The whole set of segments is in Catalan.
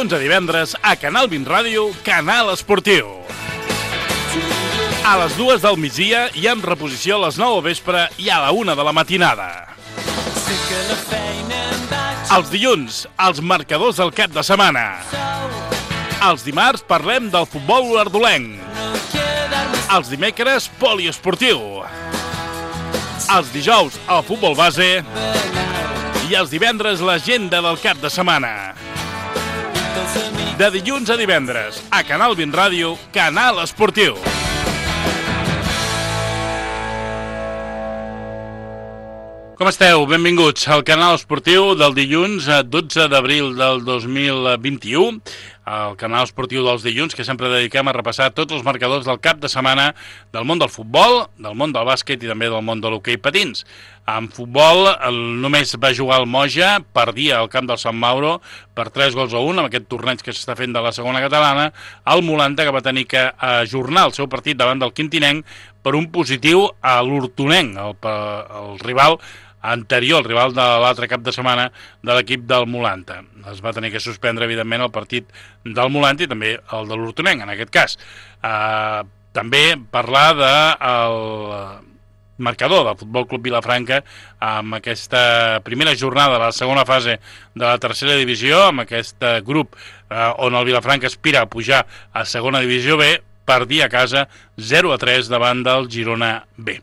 dilluns a divendres a Canal 20 Ràdio, Canal Esportiu. A les 2 del migdia i amb reposició a les 9 del vespre i a la 1 de la matinada. Els dilluns, els marcadors del cap de setmana. Els dimarts parlem del futbol olordolenc. Els dimecres, poliesportiu. Els dijous, el futbol base. I els divendres, l'agenda del cap de setmana. De dilluns a divendres, a Canal 20 Ràdio, Canal Esportiu. Com esteu? Benvinguts al Canal Esportiu del dilluns 12 d'abril del 2021. El Canal Esportiu dels dilluns, que sempre dediquem a repassar tots els marcadors del cap de setmana del món del futbol, del món del bàsquet i també del món de l'hoquei patins. En futbol només va jugar el Moja, perdia al camp del Sant Mauro per 3-1 amb aquest torneig que s'està fent de la segona catalana, el Molanta, que va tenir que ajornar el seu partit davant del Quintinenc per un positiu a l'Hortonenc, el rival anterior, el rival de l'altre cap de setmana de l'equip del Molanta. Es va tenir que suspendre, evidentment, el partit del Molanta i també el de l'Hortonenc, en aquest cas. També parlar del marcador del Futbol Club Vilafranca amb aquesta primera jornada de la segona fase de la tercera divisió, amb aquest grup on el Vilafranca aspira a pujar a segona divisió B, perdia a casa 0-3 davant del Girona B.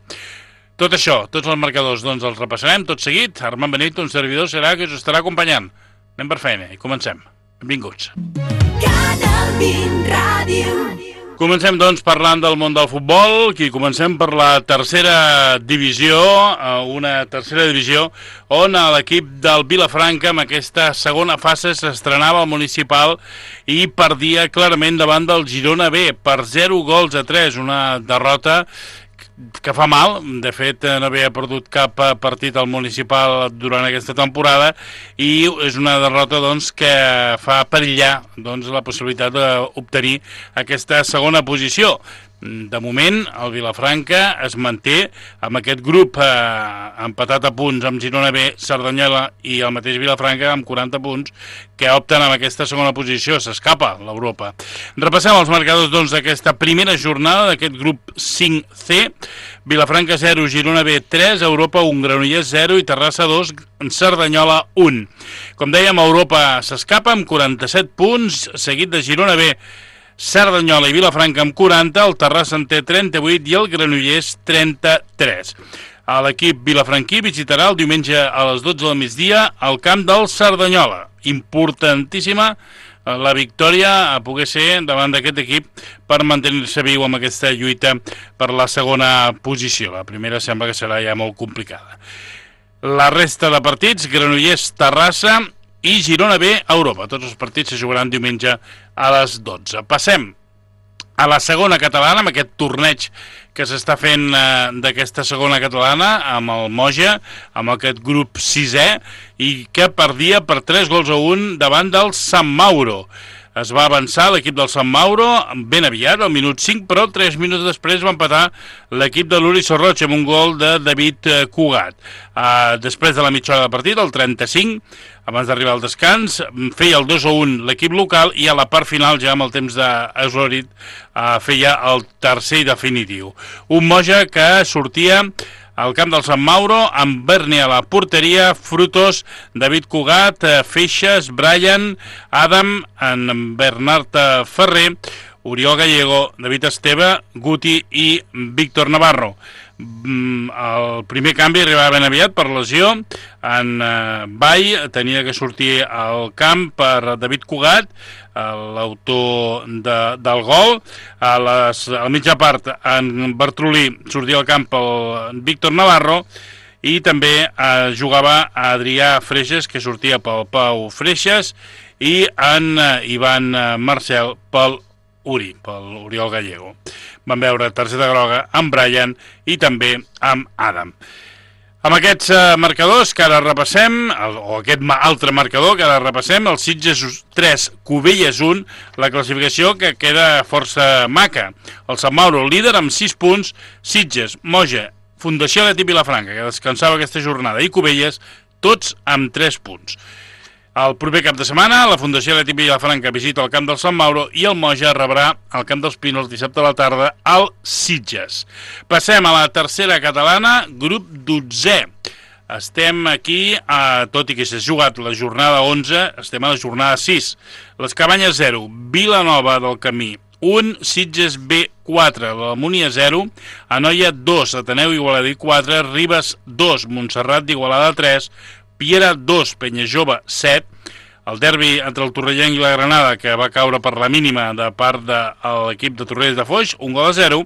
Tot això, tots els marcadors, doncs els repassarem tot seguit. Armand Benito, un servidor, serà que us estarà acompanyant. Anem per feina i comencem. Benvinguts. Canal 20 Ràdio. Comencem, doncs, parlant del món del futbol, i comencem per la tercera divisió, una tercera divisió on l'equip del Vilafranca amb aquesta segona fase s'estrenava al municipal i perdia clarament davant del Girona B per 0-3, una derrota que fa mal. De fet, no havia perdut cap partit al municipal durant aquesta temporada i és una derrota, doncs, que fa perillar, doncs, la possibilitat d'obtenir aquesta segona posició. De moment, el Vilafranca es manté amb aquest grup empatat a punts amb Girona B, Cerdanyola i el mateix Vilafranca amb 40 punts que opten amb aquesta segona posició. S'escapa l'Europa. Repassem els marcadors, doncs, d'aquesta primera jornada d'aquest grup 5C. Vilafranca 0, Girona B 3, Europa 1, Granollers 0 i Terrassa 2, Cerdanyola 1. Com dèiem, Europa s'escapa amb 47 punts, seguit de Girona B, Cerdanyola i Vilafranca amb 40, el Terrassa en té 38 i el Granollers 33. L'equip vilafranquí visitarà el diumenge a les 12 del migdia al camp del Cerdanyola. Importantíssima la victòria a poder ser davant d'aquest equip per mantenir-se viu amb aquesta lluita per la segona posició. La primera sembla que serà ja molt complicada. La resta de partits, Granollers, Terrassa i Girona B a Europa. Tots els partits se jugaran diumenge a les 12. Passem a la segona catalana, amb aquest torneig que s'està fent d'aquesta segona catalana, amb el Moja, amb aquest grup 6è, i que perdia per 3-1 davant del Sant Mauro. Es va avançar l'equip del Sant Mauro ben aviat, al minut 5, però 3 minuts després va empatar l'equip de l'Uri Sorroig amb un gol de David Cugat. Després de la mitja hora de partit, el 35, abans d'arribar al descans, feia el 2-1 l'equip local i a la part final, ja amb el temps d'eslorit, feia el tercer i definitiu. Un Moja que sortia al camp del Sant Mauro, amb Berni a la porteria, Frutos, David Cugat, Feixes, Brian, Adam, en Bernat Ferrer, Oriol Gallego, David Esteve, Guti i Víctor Navarro. El primer canvi arribava ben aviat per lesió. En Bay tenia que sortir al camp per David Cugat, l'autor del gol. A la mitja part, en Bertrolí sortia al camp pel Víctor Navarro i també jugava Adrià Freixes, que sortia pel Pau Freixes, i en Ivan Marcel pel Uri, pel Oriol Gallego. Vam veure targeta groga amb Brian i també amb Adam. Amb aquests marcadors que ara repassem, o aquest altre marcador que ara repassem, el Sitges 3, Cubelles 1, la classificació que queda força maca. El Sant Mauro, líder amb 6 punts, Sitges, Moja, Fundació Atlètic Vilafranca, que descansava aquesta jornada, i Cubelles, tots amb 3 punts. El proper cap de setmana, la Fundació Atlètic Vilafranca visita el camp del Sant Mauro i el Moja rebrà el camp dels Pinos dissabte a la tarda al Sitges. Passem a la tercera catalana, grup 12è. Estem aquí, tot i que s'ha jugat la jornada 11, estem a la jornada 6. Les Cabanyes 0, Vilanova del Camí 1, Sitges B 4, l'Almúnia 0, Anoia 2, Ateneu Igualadí 4, Ribes 2, Montserrat d'Igualada 3, Piera 2, Penyajove 7, el derbi entre el Torrellenc i la Granada, que va caure per la mínima de part de l'equip de Torrelles de Foix, 1-0,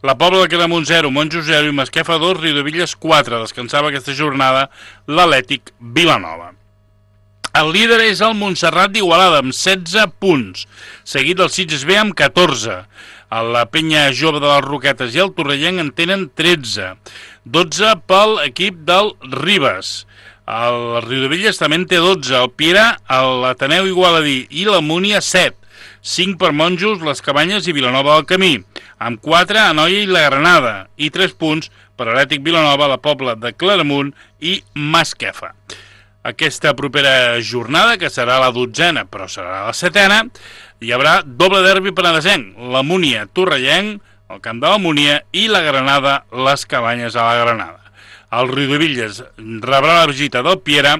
la Pobla de Claramunt 0, Monjos 0 i Masquefa 2, Riudevilles 4. Descansava aquesta jornada l'Atlètic Vilanova. El líder és el Montserrat d'Igualada amb 16 punts, seguit del Sitges B amb 14. La Penya Jove de les Roquetes i el Torrellenc en tenen 13. 12 pel equip del Ribes. El Riudevilles també en té 12, el Piera, l'Ateneu Igualadí i l'Almúnia 7, 5 per Monjos, les Cabanyes i Vilanova del Camí, amb 4 Anoia i la Granada, i 3 punts per Atlètic Vilanova, la Pobla de Claramunt i Masquefa. Aquesta propera jornada, que serà la 12a, però serà la 7a, hi haurà doble derbi penedesenc, l'Almúnia Torrellenc, el camp de l'Almúnia, i la Granada, les Cabanyes a la Granada. El Riudevilles rebrà la visita del Piera,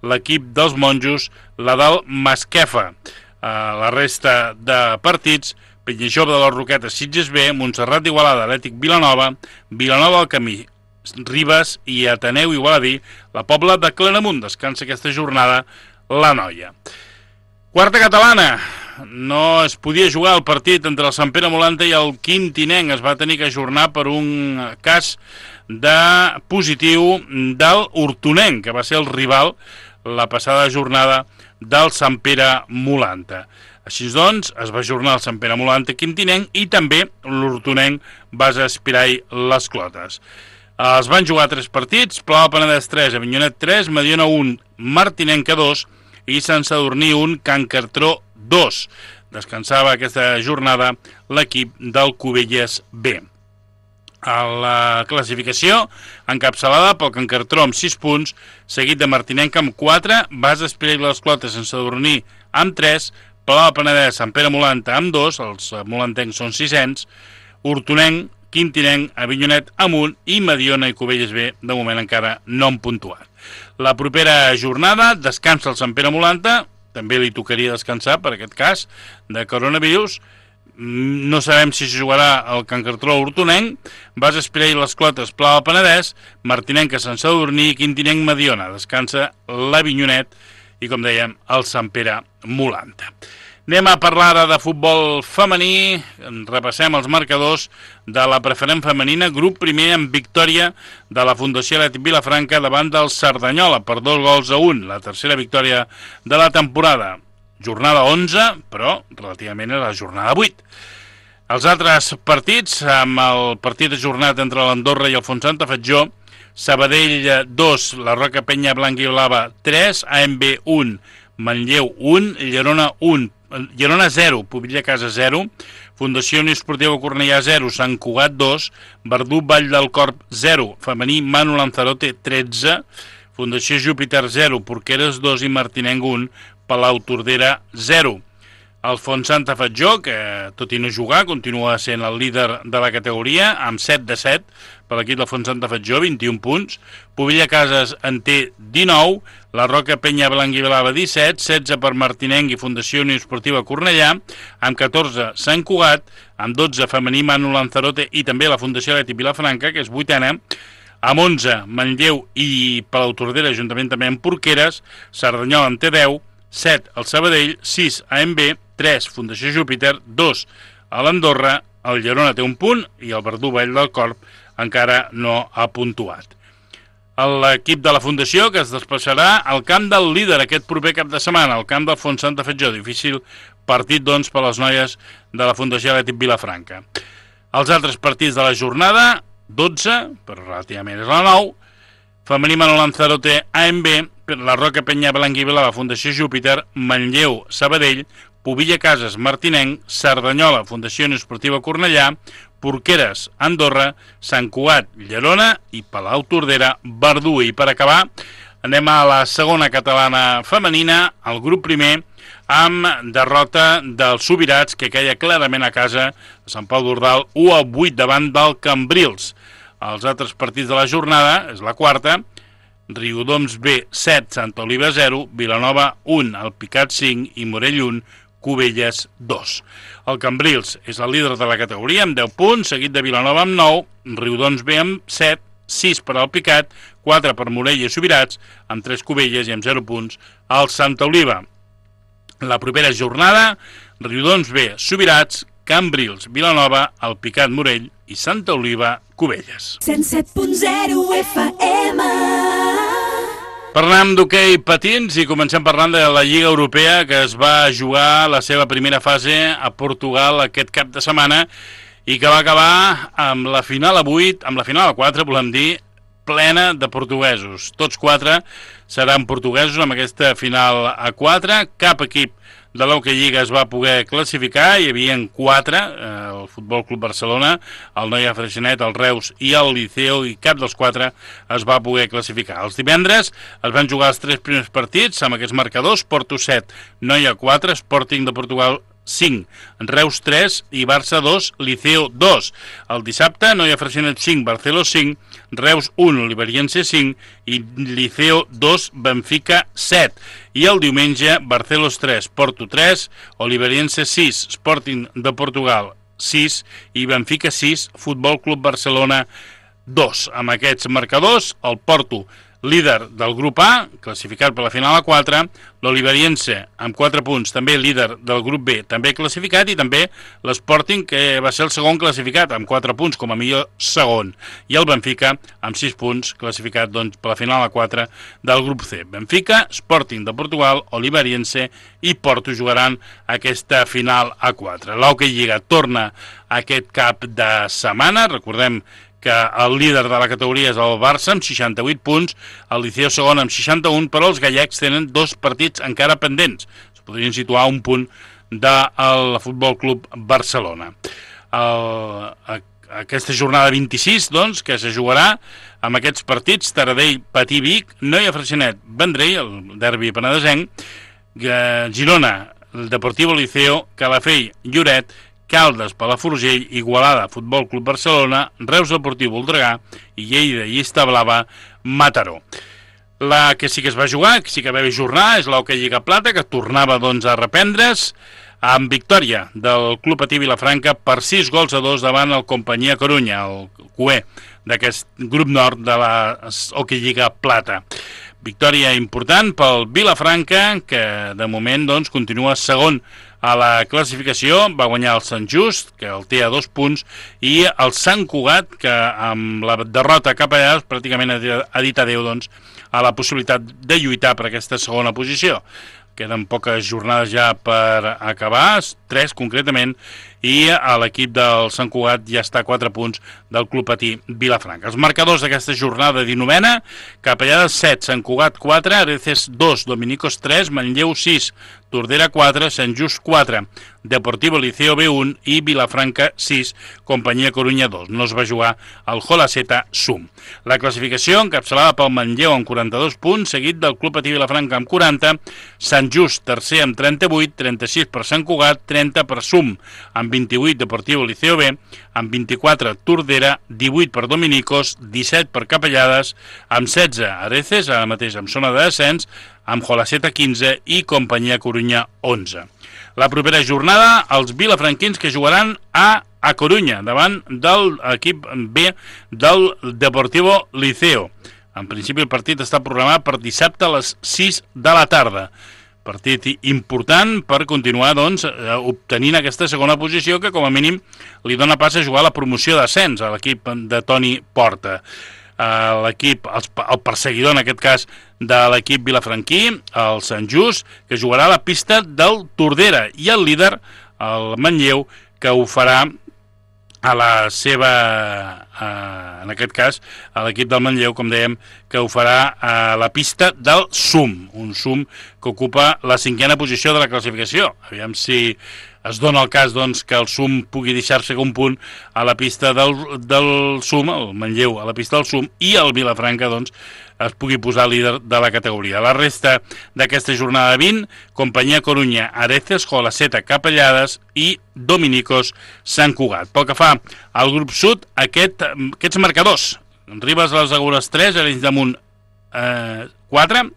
l'equip dels Monjos, la del Masquefa. La resta de partits, Penyajove de les Roquetes, Sitges B, Montserrat d'Igualada, Atlètic Vilanova, Vilanova del Camí, Ribes i Ateneu Igualadí, la Pobla de Claramunt. Descansa aquesta jornada l'Anoia. Quarta catalana. No es podia jugar el partit entre el Sant Pere Molanta i el Quintinenc. Es va tenir que ajornar per un cas de positiu del Hortonenc, que va ser el rival la passada jornada del Sant Pere Molanta. Així doncs, es va ajornar el Sant Pere Molanta Quintinenc i també l'Hortonenc Basa Espirai Les Clotes. Es van jugar 3 partits, Pla del Penedès 3, Avinyonet 3, Mediona 1, Martinenca 2 i Sant Sadurní 1, Can Cartró 2. Descansava aquesta jornada l'equip del Cubelles B. A la classificació, encapçalada pel Can Cartró amb 6 punts, seguit de Martinenca amb 4, Basa Espirai Les Clotes, Sant Sadurní amb 3, Pla del Penedès, Sant Pere Molanta amb 2, els molantencs són 600, Hortonenc, Quintinenc, Avinyonet amb 1 i Mediona i Cubelles B de moment encara no han puntuat. La propera jornada descansa el Sant Pere Molanta, també li tocaria descansar per aquest cas de coronavirus. No sabem si se jugarà el Can Cartró Hortonenc, Basa Espirai Les Clotes, Pla del Penedès, Martinenca, Sant Sadurní i Quintinenc Mediona. Descansa l'Avinyonet i, com dèiem, el Sant Pere Molanta. Anem a parlar ara de futbol femení. Repassem els marcadors de la preferent femenina, grup primer amb victòria de la Fundació Atlètic Vilafranca davant del Cerdanyola per 2-1, la tercera victòria de la temporada. Jornada 11, però relativament era la jornada 8. Els altres partits, amb el partit ajornat entre l'Andorra i el Fontsanta Fatjó, Sabadell 2, la Roca Penya Blanca i Blava 3, AMB 1, Manlleu 1, Llerona 0, Pobilla Casa 0, Fundació Unió Esportiva Cornellà 0, Sant Cugat 2, Verdú Vall del Corp 0, Femení Manu Lanzarote 13, Fundació Júpiter 0, Porqueres 2 i Martinenc 1, Palau Tordera 0. El Fontsanta Fatjó, que tot i no jugar, continua sent el líder de la categoria, amb 7-7 per l'equip del Fontsanta Fatjó, 21 punts. Pobilla Cases en té 19, la Roca Penya Blanca i Blava 17, 16 per Martinenc i Fundació Unió Esportiva Cornellà, amb 14 Sant Cugat, amb 12 Femení Manu Lanzarote i també la Fundació Atlètic Vilafranca, que és 8a, amb 11 Manlleu i Palau Tordera, juntament també amb Porqueres, Cerdanyola en té 10, 7 el Sabadell, 6 AMB, 3 Fundació Júpiter, 2 a l'Andorra, el Llerona té un punt i el Verdú Vall del Corp encara no ha puntuat. L'equip de la Fundació que es desplaçarà al camp del líder aquest proper cap de setmana, al camp del Fontsanta Fatjó. Difícil partit, doncs, per les noies de la Fundació Atlètic Vilafranca. Els altres partits de la jornada, 12, però relativament és la 9, Femení Manu Lanzarote, AMB, la Roca Penya Blanca i Blava, Fundació Júpiter, Manlleu, Sabadell, Pobilla Cases, Martinenc, Cerdanyola, Fundació Unió Esportiva Cornellà, Porqueres, Andorra, Sant Cugat, Llerona i Palau Tordera, Verdú. I per acabar, Anem a la segona catalana femenina, el grup primer, amb derrota dels Subirats, que queia clarament a casa a Sant Pau d'Ordal, 1-8 davant del Cambrils. Els altres partits de la jornada, és la quarta, Riudoms B 7, Santa Oliva 0, Vilanova 1, Alpicat 5 i Morell 1, Cubelles 2. El Cambrils és el líder de la categoria amb 10 punts, seguit de Vilanova amb 9, Riudoms B amb 7, 6 per Alpicat, 4 per Morell i Subirats, amb 3 Cubelles i amb 0 punts al Santa Oliva. La propera jornada, Riudoms B, Subirats, Cambrils, Vilanova, Alpicat, Morell i Santa Oliva, Cubelles. 107.0 FM. Parlem d'hoquei patins i comencem parlant de la Lliga Europea, que es va jugar la seva primera fase a Portugal aquest cap de setmana i que va acabar amb la final a 8, amb la final a 4, volem dir, plena de portuguesos. Tots 4 seran portuguesos amb aquesta final a 4. Cap equip de l'Hockey Lliga es va poder classificar, hi havia 4, el Futbol Club Barcelona, el Noia Freixenet, el Reus i el Liceo, i cap dels 4 es va poder classificar. Els divendres es van jugar els 3 primers partits amb aquests marcadors: Porto 7, Noia 4, Sporting de Portugal 5, Reus 3 i Barça 2, Liceo 2. El dissabte, Noia Freixenet 5, Barceló 5, Reus 1, Oliveriense 5 i Liceo 2, Benfica 7. I el diumenge, Barcelos 3, Porto 3, Oliveriense 6, Sporting de Portugal 6 i Benfica 6, Futbol Club Barcelona 2. Amb aquests marcadors, el Porto, líder del grup A, classificat per la final a 4, l'Oliveriense amb 4 punts, també líder del grup B, també classificat, i també l'Sporting, que va ser el segon classificat, amb 4 punts com a millor segon, i el Benfica amb 6 punts, classificat doncs, per la final a 4 del grup C. Benfica, Sporting de Portugal, Oliveriense i Porto jugaran aquesta final a 4. L'Hockey Lliga torna aquest cap de setmana, recordem que el líder de la categoria és el Barça amb 68 punts, el Liceo segon amb 61, però els gallecs tenen 2 partits encara pendents. Es podrien situar a un punt del Futbol Club Barcelona. Aquesta jornada 26, doncs, que se jugarà amb aquests partits: Taradell, Patí, Vic, Noia Freixenet, Vendrell, el derbi penedesenc, Girona, el Deportivo Liceo, Calafell, Lloret, Caldes, Palafrugell, Igualada, Futbol Club Barcelona, Reus Deportiu Voltregà i Lleida, Llista Blava, Mataró. La que sí que es va jugar, que sí que va haver jornada, és l'Hockey Lliga Plata, que tornava doncs a reprendre's amb victòria del Club Patí Vilafranca per 6-2 davant el Companyia Corunya, el cué d'aquest grup nord de la Hockey Lliga Plata. Victòria important pel Vilafranca, que de moment doncs, continua segon a la classificació. Va guanyar el Sant Just, que el té a 2 punts, i el Sant Cugat, que amb la derrota cap allà pràcticament ha dit adéu doncs, a la possibilitat de lluitar per aquesta segona posició. Queden poques jornades ja per acabar, 3 concretament, i l'equip del Sant Cugat ja està a 4 punts del Club Patí Vilafranca. Els marcadors d'aquesta jornada 19, Capellades 7, Sant Cugat 4, Areces 2, Dominicos 3, Manlleu 6, Tordera 4, Sant Just 4, Deportivo Liceo B1 i Vilafranca 6, Companyia Corunya 2. No es va jugar el Jolaceta Sum. La classificació encapçalada pel Manlleu amb 42 punts, seguit del Club Patí Vilafranca amb 40, Sant Just tercer amb 38, 36 per Sant Cugat, 30 per Sum, amb 28 Deportivo Liceo B, amb 24 Tordera, 18 per Dominicos, 17 per Capellades, amb 16 Areces, ara mateix amb zona de descens, amb Jolaceta 15 i Companyia Corunya 11. La propera jornada, els vilafranquins que jugaran a Corunya, davant de l'equip B del Deportivo Liceo. En principi el partit està programat per dissabte a les 6 de la tarda. Partit important per continuar doncs, obtenint aquesta segona posició que com a mínim li dona pas a jugar a la promoció d'ascens a l'equip de Toni Porta. L'equip, el perseguidor en aquest cas de l'equip vilafranquí, el Sant Just, que jugarà a la pista del Tordera, i el líder, el Manlleu, que ho farà a la seva, en aquest cas, a l'equip del Manlleu, com dèiem, que ho farà a la pista del Sum, un Sum que ocupa la 5a posició de la classificació. Aviam si es dona el cas doncs, que el SUM pugui deixar-se un punt a la pista del SUM, el Manlleu a la pista del SUM, i el Vilafranca doncs, es pugui posar líder de la categoria. La resta d'aquesta jornada 20, Companyia Corunya, Areces, Jolaceta, Capellades i Dominicos Sant Cugat. Pel que fa al grup sud, aquests marcadors: Ribes a les Agures 3, Arenys de Munt 4,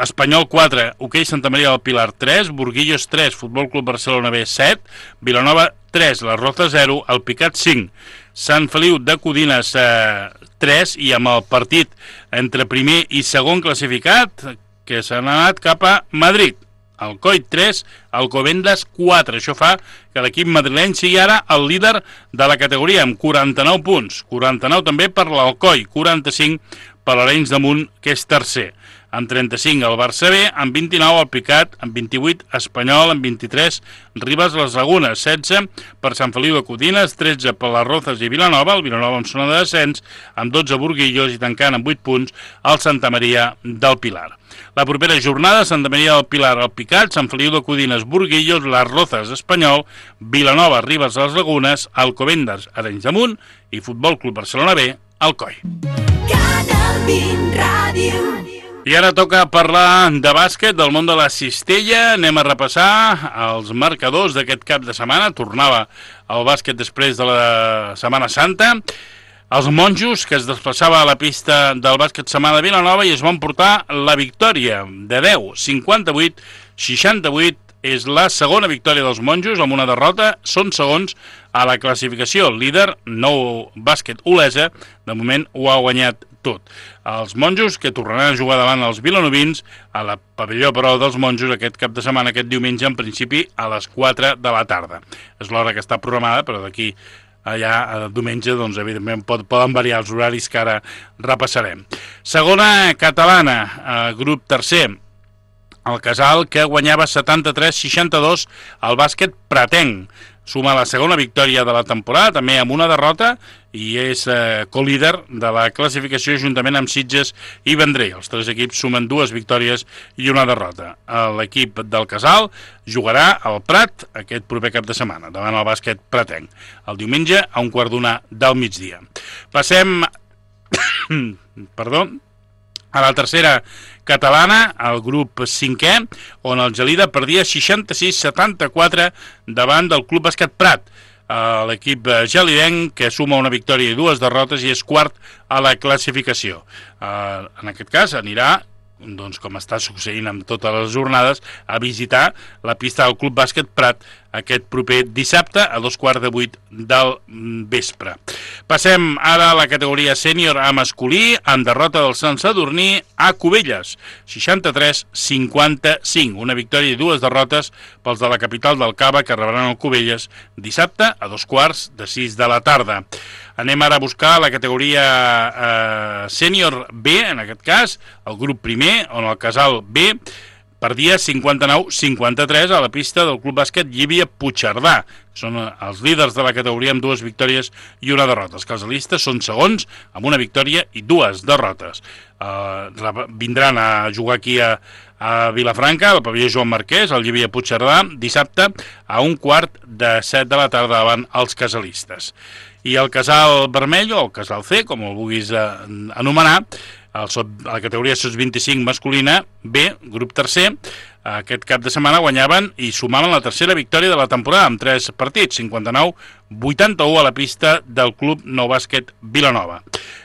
Espanyol 4, Hoquei Santa Maria del Pilar 3, Burguillos 3, Futbol Club Barcelona B 7, Vilanova 3, La Roza 0, El Picat 5, Sant Feliu de Codines 3, i amb el partit entre primer i segon classificat, que s'han anat cap a Madrid. Alcoi 3, Alcobendas 4. Això fa que l'equip madrileny sigui ara el líder de la categoria amb 49 punts. 49 també per l'Alcoi, 45 per l'Arenys de Munt, que és tercer. Amb 35 el Barça B, amb 29 el Picat, amb 28 Espanyol, amb 23 Ribes a les Lagunes, 16 per Sant Feliu de Codines, 13 per les Rozas i Vilanova, el Vilanova amb zona de descens, amb 12 Burguillos i tancant amb 8 punts el Santa Maria del Pilar. La propera jornada, Santa Maria del Pilar, el Picat, Sant Feliu de Codines, Burguillos, les Rozas, Espanyol, Vilanova, Ribes a les Lagunes, Alcobendas, Arenys de Munt i Futbol Club Barcelona B, Alcoi. Canal 20 Ràdio. I ara toca parlar de bàsquet, del món de la cistella. Anem a repassar els marcadors d'aquest cap de setmana. Tornava el bàsquet després de la Setmana Santa. Els monjos, que es desplaçava a la pista del bàsquet setmana de Vilanova i es van portar la victòria de 10, 58-68. És la segona victòria dels monjos amb una derrota. Són segons a la classificació. El líder, Nou Bàsquet Olesa, de moment ho ha guanyat tot. Els monjos, que tornaran a jugar davant els vilanovins a la pavelló, però, dels monjos aquest cap de setmana, aquest diumenge, en principi a les 4 de la tarda. És l'hora que està programada, però d'aquí allà a diumenge, doncs, evidentment, poden variar els horaris que ara repassarem. Segona catalana, grup tercer, el Casal, que guanyava 73-62 al bàsquet Pratenc. Suma la segona victòria de la temporada, també amb una derrota, i és co-líder de la classificació juntament amb Sitges i Vendrell. Els tres equips sumen 2 victòries i una derrota. L'equip del Casal jugarà al Prat aquest proper cap de setmana, davant el bàsquet Pratenc, el diumenge a 1:15 del migdia. Passem a la tercera catalana, el grup 5è, on el Gelida perdia 66-74 davant del Club Bàsquet Prat. L'equip gelidenc, que suma una victòria i 2 derrotes i és quart a la classificació. En aquest cas anirà, doncs, com està succeint amb totes les jornades, a visitar la pista del Club Bàsquet Prat aquest proper dissabte a 7:15 del vespre. Passem ara a la categoria sènior a masculí, amb derrota del Sant Sadurní a Cubelles, 63-55. Una victòria i 2 derrotes pels de la capital del Cava, que rebran el Cubelles dissabte a 5:15 de la tarda. Anem ara a buscar la categoria sènior B, en aquest cas, el grup primer, on el Casal B perdia 59-53 a la pista del Club Bàsquet Llívia Puigcerdà. Són els líders de la categoria amb 2 victòries i una derrota. Els casalistes són segons amb una victòria i 2 derrotes. Vindran a jugar aquí a Vilafranca, al pavelló Joan Marquès, al Llívia Puigcerdà, dissabte a 6:45 de la tarda davant els casalistes. I el Casal Vermell, o el Casal C, com el vulguis anomenar, a la categoria SOS25 masculina B, grup tercer, aquest cap de setmana guanyaven i sumaven la tercera victòria de la temporada amb 3 partits, 59-81 a la pista del Club Nou Bàsquet Vilanova.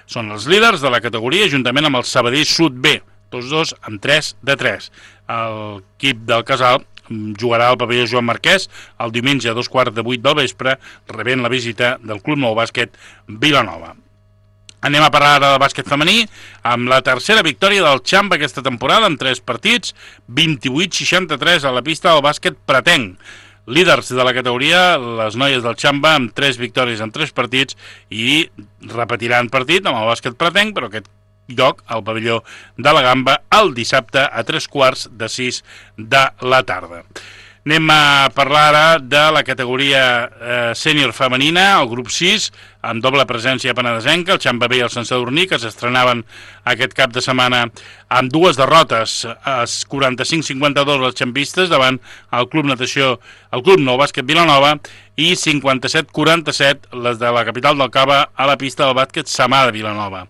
Són els líders de la categoria juntament amb el Sabadell Sud B, tots dos amb 3-3. L'equip del Casal jugarà al pavelló Joan Marquès el diumenge a 7:15 del vespre, rebent la visita del Club Nou Bàsquet Vilanova. Anem a parlar ara del bàsquet femení, amb la tercera victòria del Xamba aquesta temporada, amb 3 partits, 28-63 a la pista del bàsquet Pratenc. Líders de la categoria, les noies del Xamba, amb 3 victòries en 3 partits, i repetiran partit amb el bàsquet Pratenc, però aquest lloc al pavelló de la Gamba el dissabte a 5:45 de la tarda. Anem a parlar ara de la categoria sènior femenina, el grup 6, amb doble presència penedesenca, el Can Bebè i el Sant Sadurní, que s'estrenaven aquest cap de setmana amb dues derrotes, 45-52 les xampistes davant el Club Natació, el Club Nou Bàsquet Vilanova, i 57-47 les de la capital del Cava a la pista del bàsquet Samà de Vilanova.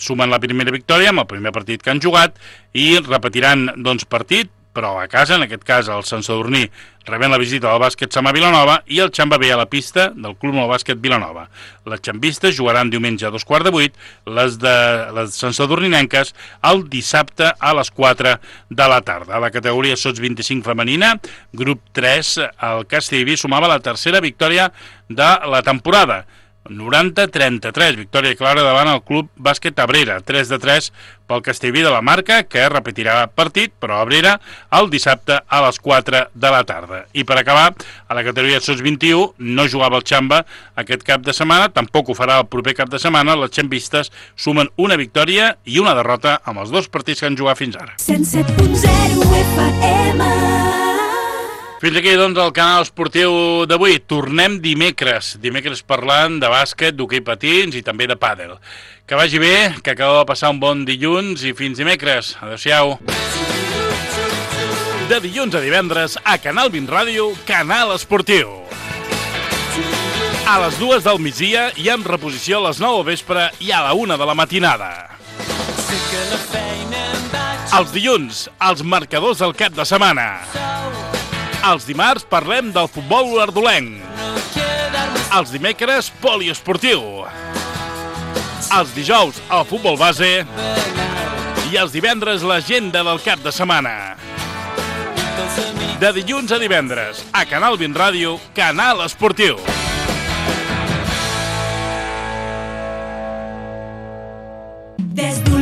Sumen la primera victòria amb el primer partit que han jugat i repetiran partit, però a casa, en aquest cas el Sant Sadurní rebent la visita del bàsquet Samà Vilanova i el Can Bebè a la pista del Club Nou Bàsquet Vilanova. Les xampistes jugaran diumenge a 2:15, les Sant Sadurninenques el dissabte a les 4 de la tarda. A la categoria Sots 25 femenina, grup 3, el Castellví sumava la tercera victòria de la temporada, 90-33, victòria clara davant el Club Bàsquet Abrera, 3-3 pel Castellví de la Marca, que repetirà partit, però Abrera, el dissabte a les 4 de la tarda. I per acabar, a la categoria Sots 21 no jugava el Xamba aquest cap de setmana, tampoc ho farà el proper cap de setmana. Les xampistes sumen una victòria i una derrota amb els dos partits que han jugat fins ara. 107.0 FM. Fins aquí, doncs, el canal esportiu d'avui. Tornem dimecres parlant de bàsquet, d'hoquei patins i també de pàdel. Que vagi bé, que acabeu de passar un bon dilluns i fins dimecres. Adéu-siau. De dilluns a divendres, a Canal 20 Ràdio, Canal Esportiu. A les 2 del migdia i amb reposició a les 9 del vespre i a la 1 de la matinada. Els dilluns, els marcadors del cap de setmana. Els dimarts parlem del futbol ardolenc. Els dimecres, poliesportiu. Els dijous, el futbol base. I els divendres, l'agenda del cap de setmana. De dilluns a divendres, a Canal 20 Ràdio, Canal Esportiu. Des d'un